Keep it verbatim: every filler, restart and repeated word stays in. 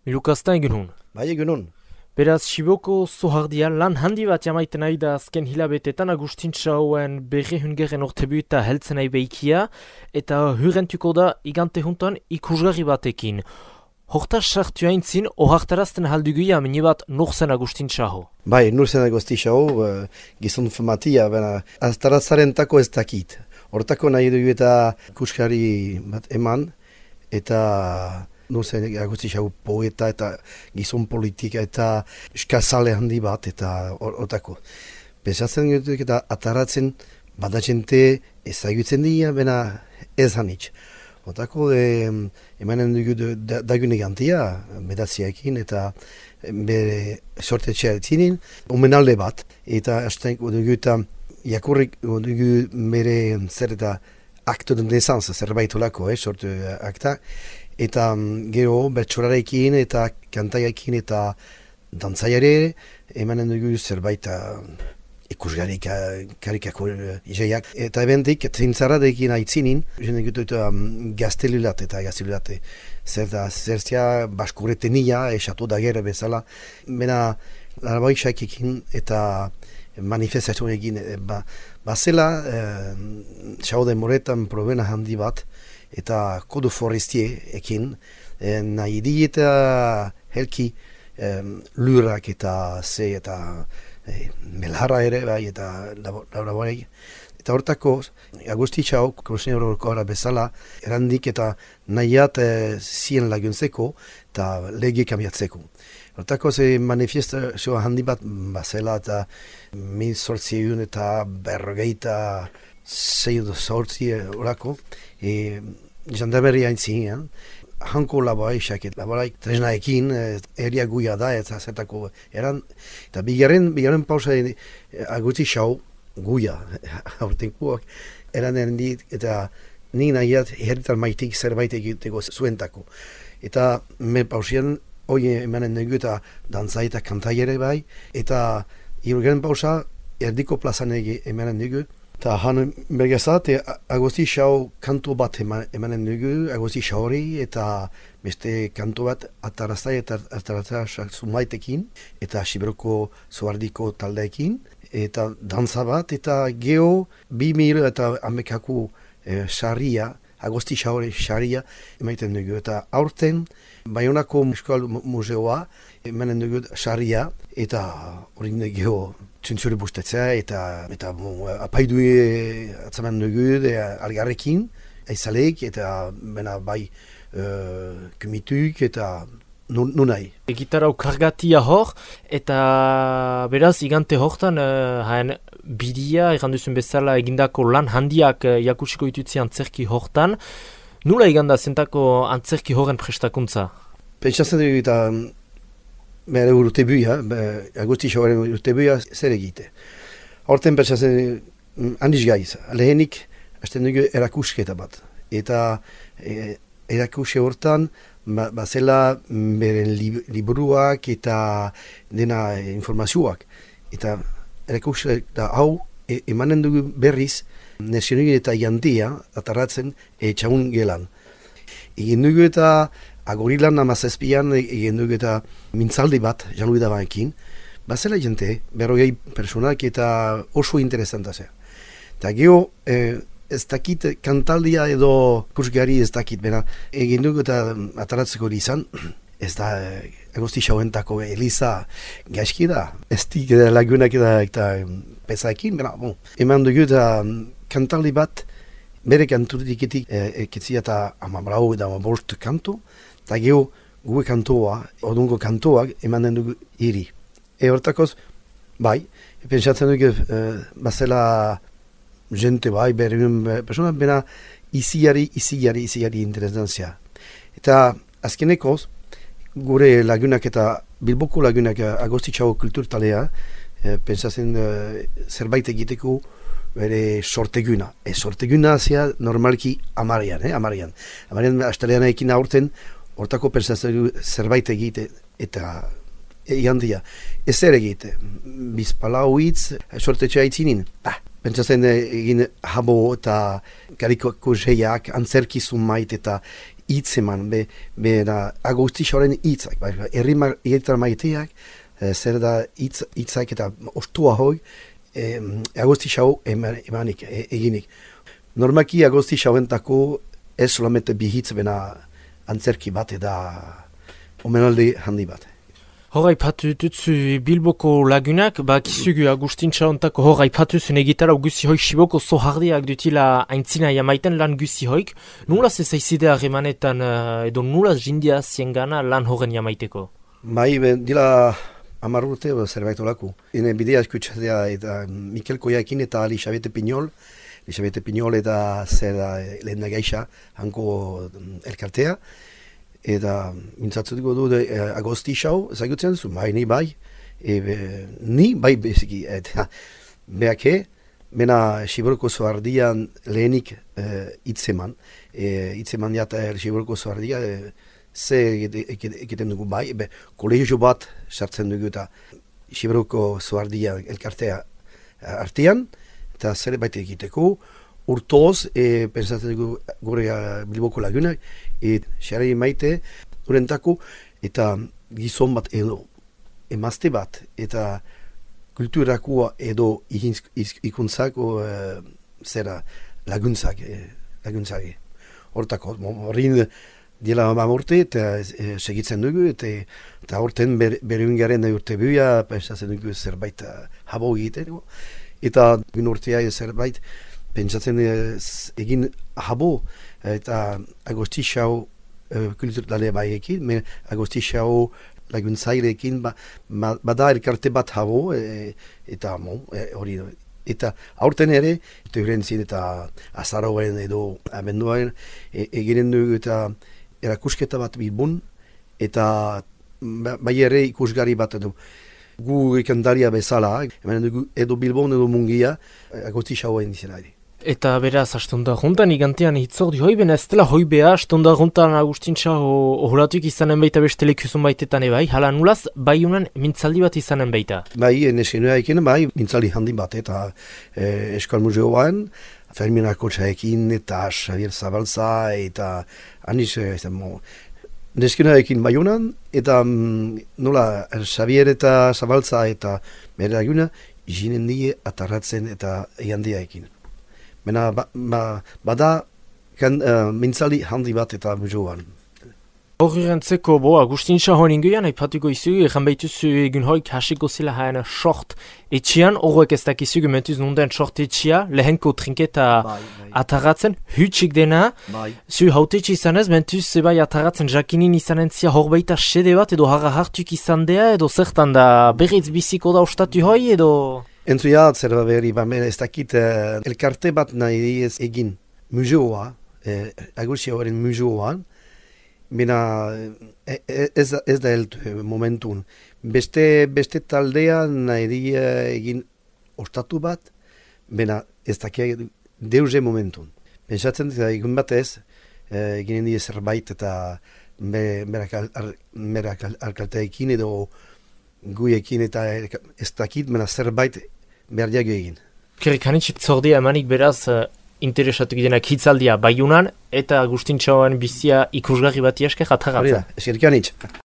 Milukazta egun hon. Bai, egun hon. Beraz, Siboko zohardia lan handi bat jamaiten nahi da azken hilabetetan Agustintxauen berre hungeren ortebu eta heltzen nahi behikia, eta hurrentuko da igante juntan ikusgarri batekin. Hortaz sartu haintzin, ohartarazten halduguia mini bat norzen Agustintxaho. Bai, norzen Agustintxaho, uh, gizon famatia, bena, aztaratzaren tako ez dakit. Hortako nahi dugu eta ikuskari bat eman, eta norzen Agustintxaho poeta eta gizon politika eta eskazale handi bat, eta hortako. Pensatzen dut eta ataratzen badatzente ezagutzen dira, bena ez hanitz. Otako e, emanen dugu dagune gantia, medatziaekin eta bere sortetxea etzinin, omenalde bat, eta hasten dugu eta jakurrik dugu bere zer eta akto de naissance, zerbait olako, eh, sortu akta, eta gero bertsorarekin eta kantaiakin eta dantzaiare, emanen dugu zerbait ikusgarri karikako izaiak. Eta ebendik, trintzaradekin aitzinin, jende gutu um, gaztelulat eta gaztelulat. Zertzia baskuretenia, esatu da gero bezala. Bena, larabaixakekin eta manifestatu egin. Ba, bazela, eh, xaude moretan probena handi bat, eta kodu forestie ekin, eh, nahi di eta helki eh, lurak eta ze eta E, melharra ere, bai, eta laborai. Eta hortako, Agustintxaho, Krosenero horkora bezala, erandik eta nahiat e, zien laguntzeko eta lege kamiatzeko. Hortako, ze manifestazio handi bat bazela eta mil sortzieun eta berrogeita zeido sortzie horako, e, jandarmeria haintzien, hanko laboraixak, laboraik tresnaekin, eria guia da, eta zertako eran. Eta bigarren, bigarren pausa Agustintxaho guia, aurtenkoak, eran erendit, eta nik nahiat herritar maitik zerbait egiteko zuentako. Eta me pausian, hoi emanen dugu eta dantza eta kantai ere bai, eta hirugarren pausa erdiko plazan emanen dugu. Eta han bergezat, Agustintxaho kantu bat emanen dugu, Agustintxahori eta beste kantu bat ataraztai eta ataraztai zumaitekin, eta Siberoko zoardiko taldeekin, eta dantza bat, eta geho bi mil eta amekaku e, xarria, Agustintxahori xarria emaiten dugu. Eta aurten, Baionako Euskal Museoa emanen dugu xarria, eta hori geho txuntzuri bustetzea, eta, eta bon, apaidu atzaman dugu de, algarrekin, aizalek, eta bena bai uh, kumituk, eta nunai. Gitarau kargatia hor, eta beraz igante hortan, uh, haen bidia, erranduzun bezala egindako lan handiak uh, jakutsiko ditutzi antzerki hortan. Nula iganda zentako antzerki horren prestakuntza? Pentsatzen dugu eta bere urte buia, Agustintxahoren urte buia zer egite. Horten pentsatzen handiz gaiz, lehenik hasten dugu erakusketa bat. Eta e, erakuske hortan, ba, bazela beren lib, liburuak eta dena e, informazioak. Eta erakusketa hau e, emanen dugu berriz, nazionugin eta jantia atarratzen e, txaun gelan. Egin dugu eta agorilan amazazpian egin dugu eta mintzaldi bat, janui da baekin, bazela jente, berrogei personak eta oso interesanta zer. Eta geho, eh, ez dakit kantaldia edo kursgari ez dakit, bera, egin dugu eta ataratzeko izan, ez da eh, Agustintxahoentako Eliza gaizki da, ez dik lagunak eta, eta pezaekin, bera, bon, eman dugu eta kantaldi bat, bere kanturiketik eketzia eta amabrau eta amabost kantu, eta geho gue kantoa, odungo kantoak emanen dugu iri. E hortakoz, bai, pentsatzen dugu e, bazela jente bai, berriun persona, bena iziari, iziari, iziari interesantzia. Eta azkenekoz, gure lagunak eta Bilboko lagunak Agustintxaho kulturtalea, e, pentsatzen e, zerbait egiteko bere sorteguna. E, sorteguna zea normalki amarian, eh, amarian. Amarian astelean ekin aurten, hortako pensatzen zerbait egite eta egan dia. Ez zer egite, bizpalau hitz, sortetxea itzinin. Bah, pentsatzen egin habo eta karikako zeiak, antzerkizun mait eta hitz eman, be, be da, Agostixoaren hitzak, bai, herri ma, maiteak, e, zer da hitz, hitzak eta ostua hoi, e, Agostixo emanik, e, eginik. Normaki Agostixoentako ez solamente bihitz bena antzerki bat eta omenaldi handi bat. Hor aipatu dutzu Bilboko lagunak, ba kizugu Agustintxa ontako hor aipatu zuen egitara guzi hoik Siboko zohardiak dutila aintzina jamaiten lan guzi hoik. Nula zezaizide harremanetan edo nula jindia ziengana lan horren jamaiteko? Bai, ben, dila hamar urte zerbait olako. Hene bidea eskutsatzea eta Mikel Koiakin eta Elisabete Piñol, Elisabete Piñol eta zer da lehen nagaixa hanko elkartea. Eta mintzatzen dugu du eh, Agostixo, ezagutzen zu, bai, ni bai, e, be, ni bai beziki, eta behake, mena Siberoko zoardian lehenik hitzeman, e, hitzeman jata Siberoko zoardia, e, ze egiten dugu bai, be, kolegio bat sartzen dugu eta Siberoko zoardia elkartea artean, eta zer baita egiteko, urtoz, e, pensatzen dugu gure Bilboko lagunak, et xarri maite urentako, eta gizon bat edo emazte bat, eta kulturakua edo ikuntzako e, zera laguntzak, e, laguntzak. Hortako, horrin dila mamorte, eta e, segitzen dugu, eta, eta horten ber, berungaren urte buia, pensatzen dugu zerbait habo egiten, eta bin urtea zerbait, pentsatzen egin habo eta Agostixo uh, kulturale baiekin, men Agostixo laguntzaileekin ba, ba, bada elkarte bat habo e, eta hori e, eta aurten ere teurentzien eta azaroen edo abenduaren e, eginen dugu eta erakusketa bat Bilbon eta ba, bai ere ikusgarri bat edo gu ikandaria bezala, edo Bilbon edo Mungia Agostixoen izena ere. Eta beraz, astonda juntan igantean hitzordi hoi, bena ez dela hoi beha, astonda juntan Agustintxa ohuratuk izanen baita beste lekuzun baitetan ebai, hala nulaz, bai unan mintzaldi bat izanen baita? Bai, neskenua ekin, bai, mintzaldi handi bat, eta eh, Eskal Museoan, Fermin Akotxaekin, eta Xavier Zabalza, eta aniz, eta mo, neskenua ekin bai unan, eta mm, nola, Xavier eta Zabalza, eta bere laguna, izinen die atarratzen eta egandia ekin. Mena ba, ba, bada kan, uh, mintzali handi bat eta museoan. Horri rentzeko, bo, Agustintxa hoen ingoian, haipatuko izugu, egan behituzu egun hoik hasiko zila haena short etxian, horrek ez dakizugu mentuz nunden short etxia, lehenko trinketa bai, bai. Atarratzen, hutsik dena, bai. Zu hautetxe izanez, mentuz bai atarratzen jakinin izanen zia horbeita sede bat, edo harra hartuk izan dea, edo zertan da berriz biziko da ostatu hoi, edo... Entzuia, zer da berri, ba, ez dakit uh, elkarte bat nahi ez egin museoa, eh, Agustixoaren museoan, bena ez, ez da heltu momentun. Beste, beste taldea nahi egin ostatu bat, bena ez dakit deuze momentun. Pentsatzen dut, egun batez, eh, eginen die zerbait eta berak alkalteekin edo guiekin eta ez dakit, mena zerbait behar diago egin. Kerik hanitzik zordia emanik beraz uh, interesatu gidenak hitzaldia baiunan eta Agustintxoan bizia ikusgarri bat iasker atarratzen. Eskerik hanitz.